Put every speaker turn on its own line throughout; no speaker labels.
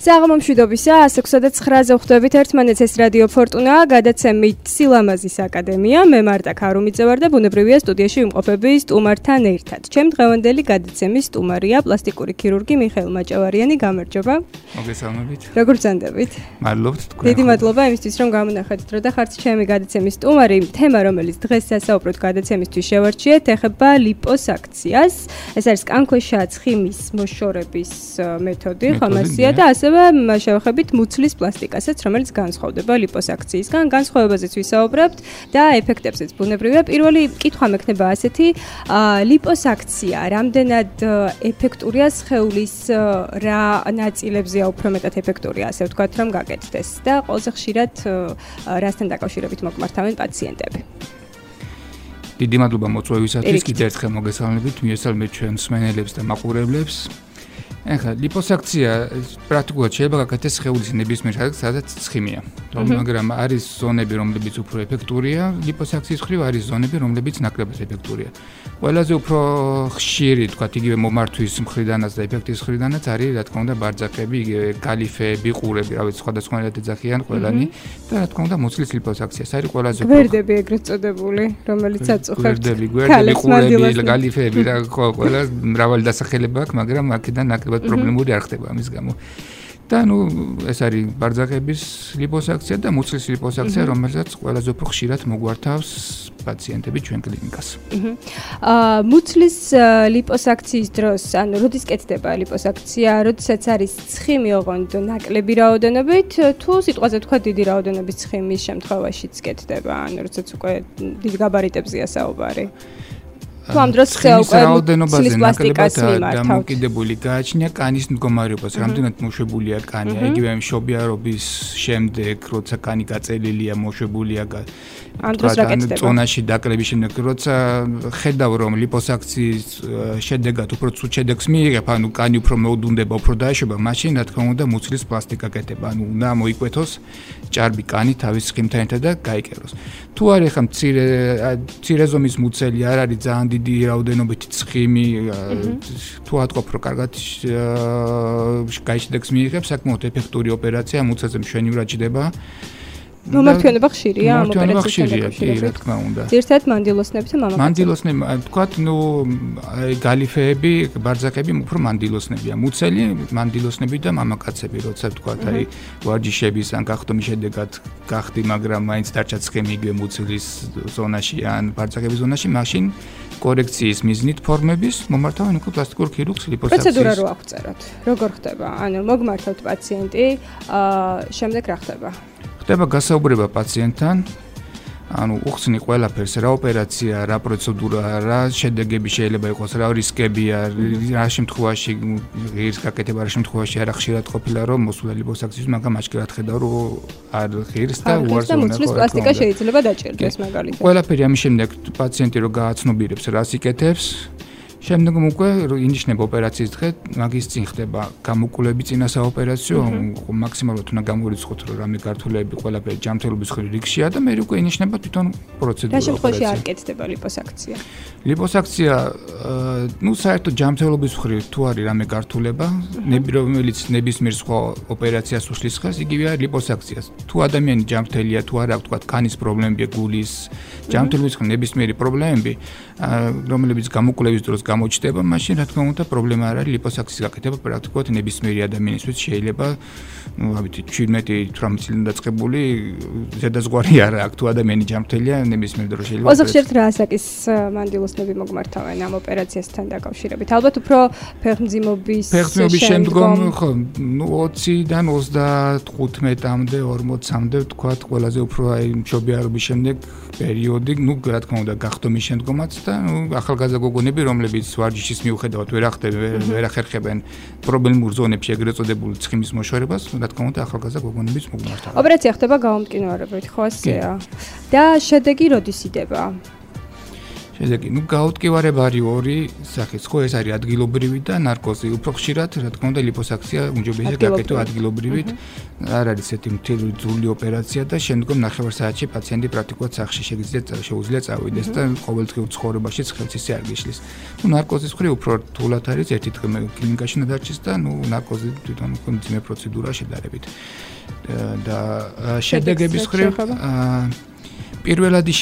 საღამომშვიდობისა 109-ზე ხვდებით ერთმანეთს ეს რადიო ფორტუნა გადაცემით სილამაზის აკადემია მე მარტა ქარუმიძე ვარ და ბუნებრივია სტუდიაში ვიმყოფები სტუმართან ერთად. ჩემ დღევანდელი გადაცემის სტუმარია პლასტიკური ქირურგი მიხეილ მაჭავარიანი. გამარჯობა.
მოგესალმებით.
როგორ ბრძანდებით?
მადლობთ თქვენ.
დიდი მადლობა იმისთვის რომ გამონახეთ დრო და ხართ ჩემი გადაცემის სტუმარი. თემა რომელიც დღეს სასაუბროთ გადაცემისთვის შევარჩიეთ ეხება ლიპოსაქციას. ეს არის კანქვეშა ცხიმის მოშორების მეთოდი, ხომასია და ასევე შევეხებით მუცლის პლასტიკასაც, რომელიც განსხვავდება ლიპოსაქციისგან. განსხვავებაზეც ვისაუბრებთ და ეფექტებზეც ბუნებრივია. პირველი კითხვა მექნება ასეთი: ლიპოსაქცია რამდენად ეფექტურია სხეულის რა ნაწილებზეა უფრო მეტად ეფექტურია, ასე ვთქვათ, რომ გაკეთდეს და ყველაზე ხშირად რასთან დაკავშირებით მოგმართავენ პაციენტები?
დიდი მადლობა მოწვევისათვის. კიდევ ერთხელ მოგესალმებით მიესალმებით ჩვენ მსმენელებს და მაყურებლებს. ეხლა ლიპოსაქცია პრაქტიკულად შეიძლება გაკეთდეს სხეულის ნებისმიერ ადგილას, სადაც ცხიმია. მაგრამ არის ზონები, რომლებიც უფრო ეფექტურია, ლიპოსაქციის მხრივ არის ზონები, რომლებიც ნაკლებად ეფექტურია. ყველაზე უფრო ხშირი, თქვათ, იგივე მომართვის მხრიდანაც და ეფექტის მხრიდანაც არის, რა თქმა უნდა, ბარძაკები, იგივე კალიფეები, ყურები, რა ვიცი, სხვადასხვანაირად ეძახიან ყველანი და რა თქმა უნდა, მუცლის ლიპოსაქცია. ეს არის ყველაზე უფრო
გვერდები ეგრეთ წოდებული, რომელიც აწუხებთ.
გვერდები, ყურები, კალიფეები, რა ხო, ყველა მრავალი დასახელება აქვს, მაგრამ აქედან ნაკლებად პრობლემური არ ხდება ამის გამო. და ეს არის ბარძაკების ლიპოსაქცია და მუცლის ლიპოსაქცია, რომელსაც ყველაზე უფრო ხშირად მოგვართავს პაციენტები ჩვენ კლინიკას.
მუცლის ლიპოსაქციის დროს, ანუ როდის კეთდება ლიპოსაქცია, როდესაც არის ცხიმი ოღონდ ნაკლები რაოდენობით, თუ სიტყვაზე თქვა დიდი რაოდენობის ცხიმის შემთხვევაშიც კეთდება, ანუ როდესაც უკვე დიდ გაბარიტებზეა საუბარი. თუ ამ დროს
რაოდენობაზე ნაკლებად დამოკიდებული გააჩნია კანის მდგომარეობას, რამდენად მოშვებულია კანი, იგივე მშობიარობის შემდეგ, როცა კანი გაწელილია, მოშვებულია
ამ დროს რა კეთდება?
ზონაში დაკლების შემდეგ, როცა ხედავ რომ ლიპოსაქციის შედეგად უფრო ცუდ შედეგს მიიღებ, ანუ კანი უფრო მოუდუნდება, უფრო დაეშვება, მაშინ რა თქმა უნდა მუცლის პლასტიკა კეთება, ანუ უნდა მოიკვეთოს ჭარბი კანი თავის ცხიმთან ერთად და გაიკეროს. თუ არის ხა მცირე ზომის მუცელი არ არის ძალიან დიდი რაოდენობით ცხიმი, თუ ატყობ რომ კარგად გაიჭდებს მიიღებს, საკმაოდ ეფექტური ოპერაცია, მუცელზე მშვენივრად ჯდება.
მომართვენება ხშირია ამ ოპერაციასთან
დაკავშირებით, რა თქმა უნდა.
ძირითადად მანდილოსნები და მამაკაცები.
მანდილოსნები, თქვათ, გალიფეები, ბარძაკები უფრო მანდილოსნებია. მუცელი, მანდილოსნები და მამაკაცები, როცა თქვათ, ვარჯიშების ან გახდომის შედეგად გახდი, მაგრამ მაინც დარჩა ცხიმი იგივე მუცლის ზონაში ან ბარძაკების ზონაში, მაშინ კორექციის მიზნით ფორმების მომართავენ უკვე პლასტიკურ ქირურგს ლიპოსაქციის.
პროცედურა რო აღწეროთ, როგორ ხდება? ანუ მოგმართავთ პაციენტი, შემდეგ რა ხდება?
ხდება გასაუბრება პაციენტთან, ანუ უხსნი ყველაფერს, რა ოპერაცია, რა პროცედურა, რა შედეგები შეიძლება იყოს, რა რისკებია, რა შემთხვევაში ღირს გაკეთება, რა შემთხვევაში არა ხშირად ყოფილა რომ მოსულა ლიპოსაქციის, მაგრამ აჩქარად ხედავ რომ არ ღირს და უარს უნდა
მუცლის პლასტიკა შეიძლება დაჭერდეს მაგალითად.
ყველაფერი ამის შემდეგ პაციენტი რო გააცნობიერებს რას იკეთებს, შემდეგ უკვე ინიშნება ოპერაციის დღე, მაგის წინ ხდება გამოკვლევები წინა საოპერაციო, მაქსიმალურად უნდა გამორიცხოთ რომ რამე გართულები ყველაფერი ჯანმრთელობის მხრივ რიგშია და მე უკვე ინიშნება თვითონ პროცედურა.
რა შემთხვევაში არ კეთდება ლიპოსაქცია?
ლიპოსაქცია, საერთოდ ჯანმრთელობის მხრივ თუ არის რამე გართულება, რომელიც ნებისმიერ სხვა ოპერაციას უშლის ხელს, იგივე არის ლიპოსაქციას. თუ ადამიანი ჯანმრთელია, თუ არა, ვთქვათ, კანის პრობლემებია, გულის, ჯანმრთელობის მხრივ ნებისმიერი პრობლემები, რომლებიც გამოკვლევის დროს გამოჩნდება, მაშინ რა თქმა უნდა პრობლემა არ არის ლიპოსაქციის გაკეთება პრაქტიკულად ნებისმიერი ადამიანისთვის შეიძლება, ავით 17-18 წლიდან დაწყებული ზედაზღვარი არ აქვს, თუ ადამიანი ჯანმრთელია, ნებისმიერ დროს შეიძლება.
ყველაზე ხშირად რა ასაკის მანდილოსნები მოგმართავენ ამ ოპერაციასთან დაკავშირებით? ალბათ უფრო ფეხმძიმობის
შემდგომ, ხო, 20-დან 35-მდე, 40-მდე ვთქვათ, ყველაზე უფრო აი მშობიარობის შემდეგ პერიოდი, რა თქმა უნდა, გახდომის შემდგომაც და ახალგაზრდა გოგონები, რომლებიც ვარჯიშის მიუხედავად ვერ ახერხებენ პრობლემურ ზონებში ეგრეთ წოდებული ცხიმის მოშორებას, რა თქმა უნდა, ახალგაზრდა გოგონებიც მოგმართავენ.
ოპერაცია ხდება გამომტკინვარებით, ხო ასეა? და შედეგი როდის იდება?
შედეგი, გაუტკივარება არის ორი სახის, ხო, ეს არის ადგილობრივი და ნარკოზი. უფრო ხშირად, რა თქმა უნდა, ლიპოსაქცია უმჯობესია გაკეთო ადგილობრივით. არ არის ესეთი მთელი ოპერაცია და შემდგომ 9 საათში პაციენტი პრაქტიკულად სახლში შეუძლია წავიდეს და ყოველდღიურ ცხოვრებაშიც ხელს ისე არ გიშლის. ნარკოზის მხრივ უფრო რთულად არის, ერთი დღე კლინიკაში ნადარჩის და ნარკოზი თვითონ მძიმე პროცედურაა შედარებით. და შედეგების მხრივ პირველადი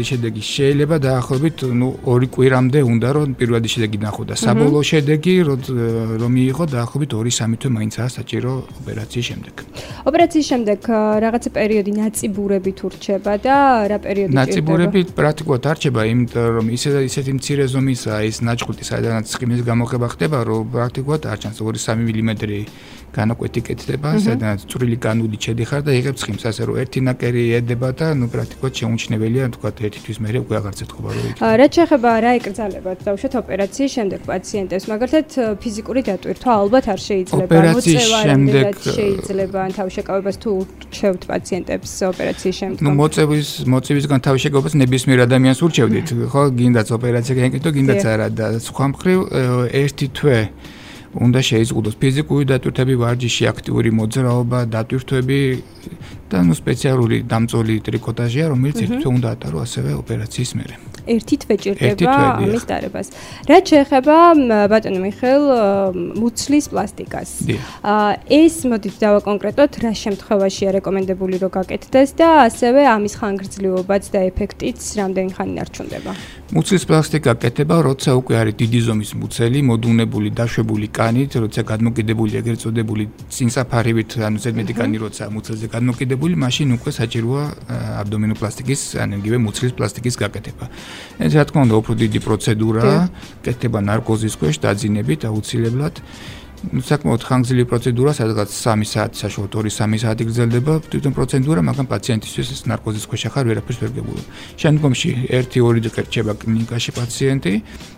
შედეგი შეიძლება დაახლოებით 2 კვირამდე უნდა რომ პირველადი შედეგი ნახო და საბოლოო შედეგი რომ მიიღო დაახლოებით 2-3 თვე მაინცაა საჭირო ოპერაციის შემდეგ.
ოპერაციის შემდეგ რაღაცა პერიოდი ნაწიბურებით ურჩება და რა პერიოდი ჭირდება?
ნაწიბურები პრაქტიკულად არ რჩება, იმიტომ რომ ისეთი მცირე ზომისაა ის ნაჭყუტი, სადაც სხიმის გამოხება ხდება, რომ პრაქტიკულად არ ჩანს 2-3 მმ განაკვეთი კეთდება, სადაც წვრილი განული შედიხარ და იღებს ხიმს, ასე რომ ერთი ნაკერი ედება და პრაქტიკულად შეუმჩნეველია, თქვა ერთი თვის მერე უკვე აღარ წერტყობა რო იქ.
რა შეეხება რა ეკრძალებათ დავუშვათ ოპერაციის შემდეგ პაციენტებს, მაგალითად ფიზიკური დატვირთვა ალბათ არ შეიძლება,
მოწევა
შეიძლება თავშეკავებას თუ ურჩევთ პაციენტებს ოპერაციის შემდეგ.
მოწევისგან თავშეკავებას ნებისმიერ ადამიანს ურჩევდით, ხო, გინდაც ოპერაცია გაიგეთო, გინდაც არა და სხვა მხრივ ერთი თვე უნდა შეიზღუდოს ფიზიკური დატვირთვები, ვარჯიში, აქტიური მოძრაობა, დატვირთვები და სპეციალური დამწოლი ტრიკოტაჟია, რომელიც ერთი თვე უნდა ატარო ასევე ოპერაციის მერე.
ერთი თვე ჭირდება ამის დარებას. რაც შეეხება ბატონო მიხეილ მუცლის პლასტიკას. ეს მოდით დავაკონკრეტოთ, რა შემთხვევაშია რეკომენდებული რომ გაკეთდეს და ასევე ამის ხანგრძლივობაც და ეფექტიც რამდენი ხანი ნარჩუნდება.
მუცლის პლასტიკა კეთება, როცა უკვე არის დიდი ზომის მუცელი, მოდუნებული, დაშვებული კანით, როცა გადმოკიდებული ეგრეთ წოდებული წინსაფარივით, ანუ ზედმეტი კანი როცა მუცელზე გადმოკიდებული, მაშინ უკვე საჭიროა აბდომინოპლასტიკის, ან იგივე მუცლის პლასტიკის გაკეთება. ეს რა თქმა უნდა უფრო დიდი პროცედურაა, კეთდება ნარკოზის ქვეშ დაძინებით აუცილებლად. საკმაოდ ხანგრძლივი პროცედურა, სადღაც 3 საათი, საშუალოდ 2-3 საათი გრძელდება თვითონ პროცედურა, მაგრამ პაციენტისთვის ეს ნარკოზის ქვეშ ახარ ვერაფერს ვერ გებულობ. შემდგომში 1-2 დღე რჩება კლინიკაში პაციენტი,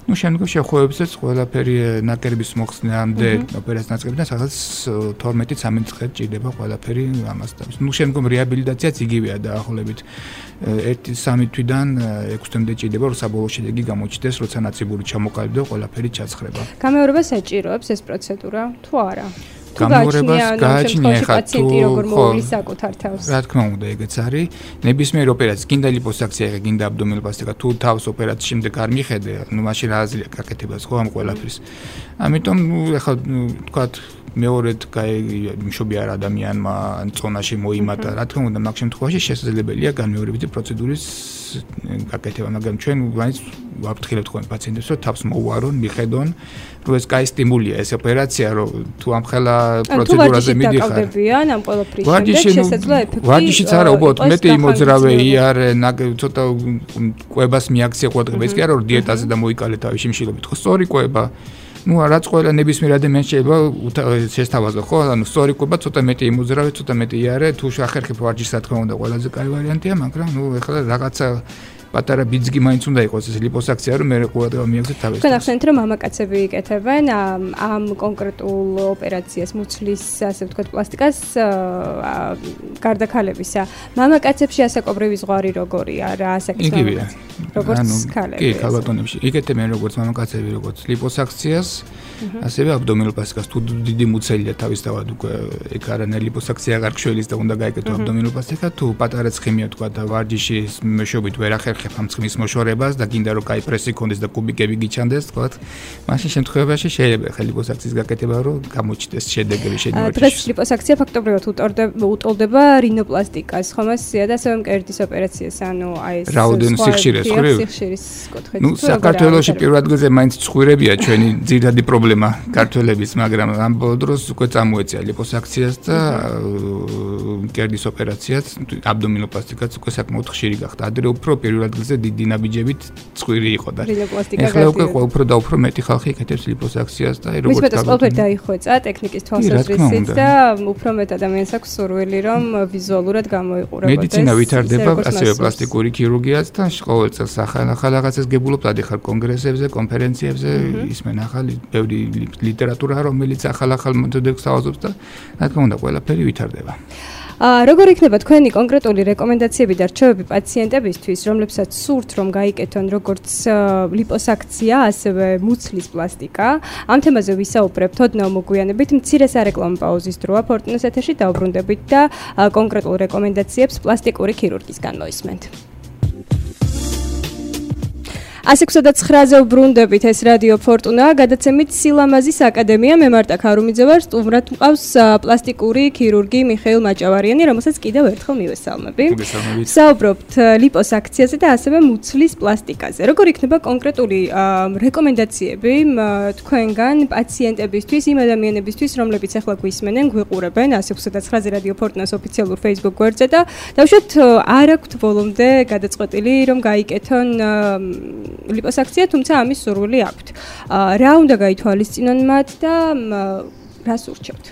შემდგომში ახლობებსაც ყველაფერი ნაკერების მოხსნამდე ოპერაციის ნაწილიდან სადღაც 12-13 დღე ჭირდება ყველაფერი ამას და შემდგომ რეაბილიტაციაც იგივეა დაახლოებით 1-3 თვიდან 6 თვემდე ჭირდება, რომ საბოლოო შედეგი გამოჩნდეს, როცა ნაწიბური ჩამოყალიბდა, ყველაფერი ჩაცხრება.
გამეორებას საჭიროებს ეს პროცედურა თუ არა?
გამეორებას გააჩნია ხა თუ
როგორ მოვლის საკუთარ თავს.
რა თქმა უნდა, ეგეც არის. ნებისმიერ ოპერაციას, გინდა ლიპოსაქცია, გინდა აბდომინოპლასტიკა, თუ თავს ოპერაციის შემდეგ არ მიხედე, მაშინ რა აზრია გაკეთებას ხო ამ ყველაფრის. ამიტომ ეხლა თქვათ მეორედ მშობიარ ადამიანმა წონაში მოიმატა, რა თქმა უნდა, მაგ შემთხვევაში შესაძლებელია განმეორებითი პროცედურის გაკეთება, მაგრამ ჩვენ მაინც ვაფრთხილებთ ხოლმე პაციენტებს, რომ თავს მოუვარონ, მიხედონ, რომ ეს კაი სტიმულია, ეს ოპერაცია, რომ თუ ამ ხელა პროცედურაზე მიდიხარ.
ამ ყველაფრის შემდეგ შესაძლოა ეფექტი.
ვარჯიშიც არა, უბრალოდ მეტი იმოძრავე იარე, ცოტა კვებას მიაქცია ყურადღება, ის კი არა, რომ დიეტაზე და მოიკალე თავის შიმშილობით, ხო, სწორი კვება. რაც ყველა ნებისმიერ ადამიანს შეიძლება შესთავაზო, ხო? ანუ სწორი კვება, ცოტა მეტი იმოძრავე, ცოტა მეტი იარე, თუ შეხერხებ ვარჯიშს, რა თქმა უნდა, ყველაზე კაი ვარიანტია, მაგრამ ეხლა რაღაცა პატარა ბიძგი მაინც უნდა იყოს ეს ლიპოსაქცია, რომ მე ყურადღება მიაქცეთ თავის.
თქვენ ახსენეთ, რომ მამაკაცები იკეთებენ ამ კონკრეტულ ოპერაციას, მუცლის, ასე ვთქვათ, პლასტიკას გარდაქალებისა. მამაკაცებში ასაკობრივი ზღვარი როგორია რა ასაკის
მამაკაცები?
როგორც ქალები.
კი, ქალბატონებში. იკეთებენ როგორც მამაკაცები, როგორც ლიპოსაქციას, ასევე აბდომინოპლასტიკას. თუ დიდი მუცელია თავისთავად უკვე ეგ არანაირი ლიპოსაქცია აღარ გშველის და უნდა გაეკეთო აბდომინოპლასტიკა, თუ პატარა ცხიმია თქვა და ვარჯიშის მეშვეობით ვერ ახერხებ ამ ცხიმის მოშორებას და გინდა რომ კაი პრესი კონდეს და კუბიკები გიჩანდეს, თქვა, მაშინ შემთხვევაში შეიძლება ხა ლიპოსაქციის გაკეთება, რომ გამოჩნდეს შედეგები შედარებით.
დღეს ლიპოსაქცია ფაქტობრივად უტოლდება რინოპლასტიკას, ხომ ასეა და ასევე მკერდის ოპერაციას, ანუ აი ეს
რაოდენ სიხშირეს ხრივ.
სიხშირის კუთხით.
საქართველოში პირველ ადგილზე მაინც ცხვირებია ჩვენი ძირითადი პრობლემა ქართველების, მაგრამ ამ ბოლო დროს უკვე წამოეწია ლიპოსაქციას და მკერდის ოპერაციაც, აბდომინოპლასტიკაც უკვე საკმაოდ ხშირი გახდა. ადრე უფრო პირველ ადგილზე დიდი ნაბიჯებით ცხვირი იყო და ეხლა უკვე უფრო და უფრო მეტი ხალხი იკეთებს ლიპოსაქციას და როგორც
ვიცით, ეს ყველაფერი დაიხვეწა ტექნიკის თვალსაზრისით და უფრო მეტ ადამიანს აქვს სურვილი, რომ ვიზუალურად გამოიყურებოდეს.
მედიცინა ვითარდება, ასევე პლასტიკური ქირურგიაც და ყოველ წელს ახალ რაღაცას გებულობთ, ადიხარ კონგრესებზე, კონფერენციებზე, ისმენ ახალი ბევრი ლიტერატურა, რომელიც ახალ მეთოდებს თავაზობს და რა თქმა უნდა, ყველაფერი ვითარდება.
როგორ იქნება თქვენი კონკრეტული რეკომენდაციები და რჩევები პაციენტებისთვის, რომლებსაც სურთ რომ გაიკეთონ როგორც ლიპოსაქცია, ასევე მუცლის პლასტიკა? ამ თემაზე ვისაუბრებთ ოდნავ მოგვიანებით, მცირე სარეკლამო პაუზის დროა ფორტუნას ეთერში დავბრუნდებით და კონკრეტულ რეკომენდაციებს პლასტიკური ქირურგისგან მოისმენთ. 109-ზე ვბრუნდებით, ეს რადიო ფორტუნა, გადაცემით სილამაზის აკადემია, მე მარტა ქარუმიძე ვარ, სტუმრად მყავს პლასტიკური ქირურგი მიხეილ მაჭავარიანი, რომელსაც კიდევ ერთხელ მივესალმები. ვსაუბრობთ ლიპოსაქციაზე და ასევე მუცლის პლასტიკაზე. როგორ იქნება კონკრეტული რეკომენდაციები თქვენგან პაციენტებისთვის, იმ ადამიანებისთვის, რომლებიც ახლა გვისმენენ, გვიყურებენ 109-ზე რადიო ფორტუნას ოფიციალურ Facebook გვერდზე და დავუშვათ არ აქვთ ბოლომდე გადაწყვეტილი რომ გაიკეთონ ლიპოსაქცია, თუმცა ამის სურვილი აქვთ. რა უნდა გაითვალისწინონ მათ და რას ურჩევთ?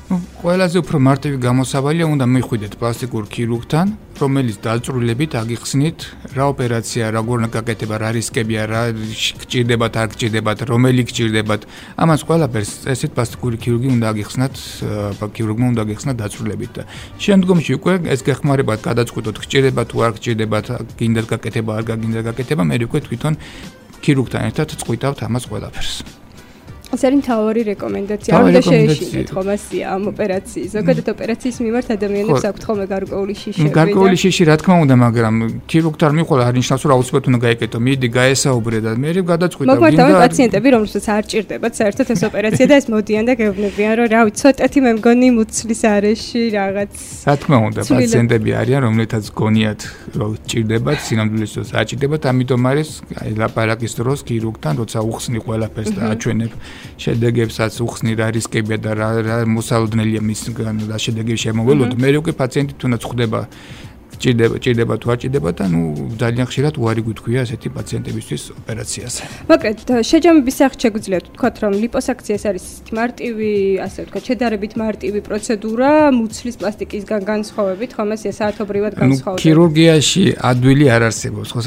ყველაზე უფრო მარტივი გამოსავალია უნდა მიხვიდეთ პლასტიკურ ქირურგთან, რომელიც დაწვრილებით აგიხსნით, რა ოპერაცია, როგორ უნდა გაკეთება, რა რისკებია, რა გჭირდებათ, არ გჭირდებათ, რომელი გჭირდებათ. ამას ყველაფერს ესეთ პლასტიკური ქირურგი უნდა აგიხსნათ, ქირურგმა უნდა აგიხსნათ დაწვრილებით და შემდგომში უკვე ეს გეხმარებათ გადაწყვეტოთ, გჭირდებათ თუ არ გჭირდებათ, გინდათ გაკეთება, არ გინდათ გაკეთება, მე უკვე თვითონ ქირურგთან ერთად წყვიტავთ ამას ყველაფერს.
ეს არის მთავარი რეკომენდაცია. არ უნდა შეეშინოთ ხომ ასია ამ ოპერაციის. ზოგადად ოპერაციის მიმართ ადამიანებს აქვთ ხოლმე გარკვეული შიშები.
გარკვეული შიში რა თქმა უნდა, მაგრამ ქირურგთან მიყოლა არ ნიშნავს რომ აუცილებლად უნდა გაიკეთო. მიდი გაესაუბრე და მე გადაწყვიტა.
მოგვართავენ პაციენტები, რომლებსაც არ ჭირდებათ საერთოდ ეს ოპერაცია და ეს მოდიან და გეუბნებიან რომ რავი, ცოტათი მე მგონი მუცლის არეში რაღაც.
რა თქმა უნდა, პაციენტები არიან, რომლეთაც გონიათ რომ ჭირდებათ, სინამდვილეს დროს არ ჭირდებათ, ამიტომ არის ლაპარაკის დროს ქირურგთან, როცა უხსნი ყველაფერს და აჩვენებ შედეგებსაც უხსნი რა რისკებია და რა მოსალოდნელია მისგან და შედეგები შემოველოთ. მე უკვე პაციენტი თუნდაც ხვდება ჭირდება თუ არ ჭირდება და ძალიან ხშირად უარი გითქვია ესეთი პაციენტებისთვის ოპერაციაზე.
მოკლედ, შეჯამების სახით შეგვიძლია ვთქვათ, რომ ლიპოსაქცია არის მარტივი, ასე ვთქვათ, შედარებით მარტივი პროცედურა მუცლის პლასტიკისგან განსხვავებით, ხომ ეს საათობრივად განსხვავდება.
ქირურგიაში ადვილი არ არსებობს, ხო,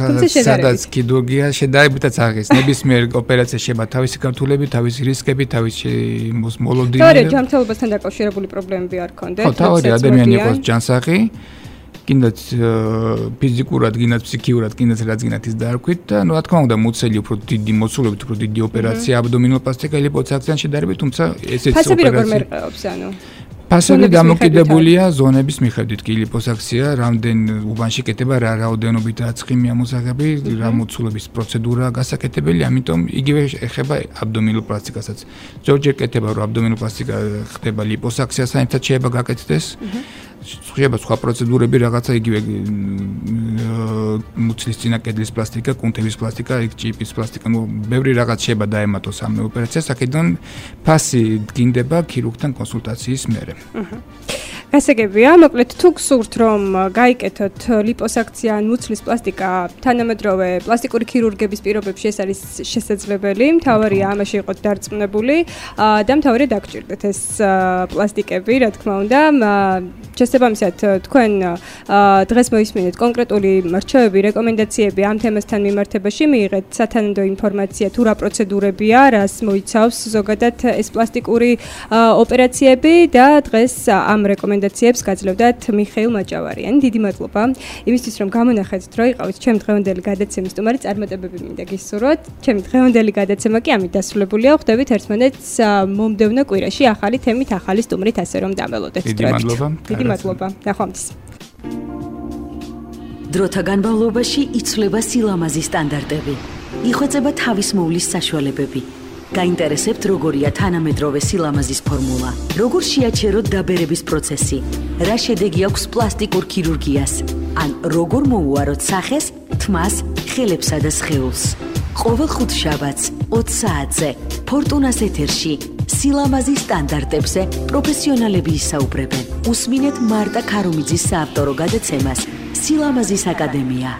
სადაც ქირურგია შედარებითაც აღეს. ნებისმიერ ოპერაცია შეება თავისი გართულებით, თავისი რისკებით, თავისი მოლოდინი.
თავი ჯანმრთელობასთან დაკავშირებული პრობლემები არ ქონდეთ?
ხო, თავი ადამიანი იყოს ჯანსაღი. კიდაც ფიზიკურად, კიდაც ფსიქიურად, კიდაც რაც გინათ ის დაარქვით და რა თქმა უნდა მუცელი უფრო დიდი მოცულობით, უფრო დიდი ოპერაცია აბდომინოპლასტიკა ლიპოსაქციან შედარებით, თუმცა ესეც ოპერაცია.
ფასები როგორ მერყეობს, ანუ?
ფასები დამოკიდებულია ზონების მიხედვით კი ლიპოსაქცია, რამდენ უბანში კეთება, რა რაოდენობით აცხიმია მოსაღები, რა მოცულობის პროცედურაა გასაკეთებელი, ამიტომ იგივე ეხება აბდომინოპლასტიკასაც. ზოგჯერ კეთება, რომ აბდომინოპლასტიკა ხდება ლიპოსაქციასთან ერთად შეიძლება გაკეთდეს. შეიძლება სხვა პროცედურები რაღაცა იგივე მუცლის წინა კედლის პლასტიკა, კუნთების პლასტიკა, ჭიპის პლასტიკა, ბევრი რაღაც შეიძლება დაემატოს ამ ოპერაციას, აქედან ფასი დგინდება ქირურგთან კონსულტაციის მერე.
გასაგებია, მოკლედ თუ გსურთ რომ გაიკეთოთ ლიპოსაქცია ან მუცლის პლასტიკა თანამედროვე პლასტიკური ქირურგების პირობებში ეს არის შესაძლებელი, მთავარია ამაში იყოთ დარწმუნებული და მთავარია დაგჭირდეთ ეს პლასტიკები, რა თქმა უნდა. შესაბამისად, თქვენ დღეს მოისმინეთ კონკრეტული რჩევები, რეკომენდაციები ამ თემასთან მიმართებაში, მიიღეთ სათანადო ინფორმაცია თუ რა პროცედურებია, რას მოიცავს ზოგადად ეს პლასტიკური ოპერაციები და დღეს ამ რეკომენდაციებს გაძლევდათ მიხეილ მაჭავარიანი. დიდი მადლობა იმისთვის, რომ გამონახეთ დრო იყავით ჩემი დღევანდელი გადაცემის სტუმარი, წარმატებები მინდა გისურვოთ. ჩემი დღევანდელი გადაცემა კი ამით დასრულებულია. ხვდებით ერთმანეთს მომდევნო კვირაში ახალი თემით, ახალი სტუმრით, ასე რომ დამელოდეთ.
დიდი მადლობა.
დიდი მადლობა. ნახვამდის.
დროთა განმავლობაში იცვლება სილამაზის სტანდარტები. იხვეწება თავისმოვლის საშუალებები. გაინტერესებთ როგორია თანამედროვე სილამაზის ფორმულა? როგორ შეაჩეროთ დაბერების პროცესი? რა შედეგი აქვს პლასტიკურ ქირურგიას? ან როგორ მოუაროთ სახეს, თმას, ხელებსა და სხეულს? ყოველ ხუთშაბათს 20 საათზე ფორტუნას ეთერში სილამაზის სტანდარტებზე პროფესიონალები ისაუბრებენ. უსმინეთ მარტა ქარუმიძის საავტორო გადაცემას სილამაზის აკადემია.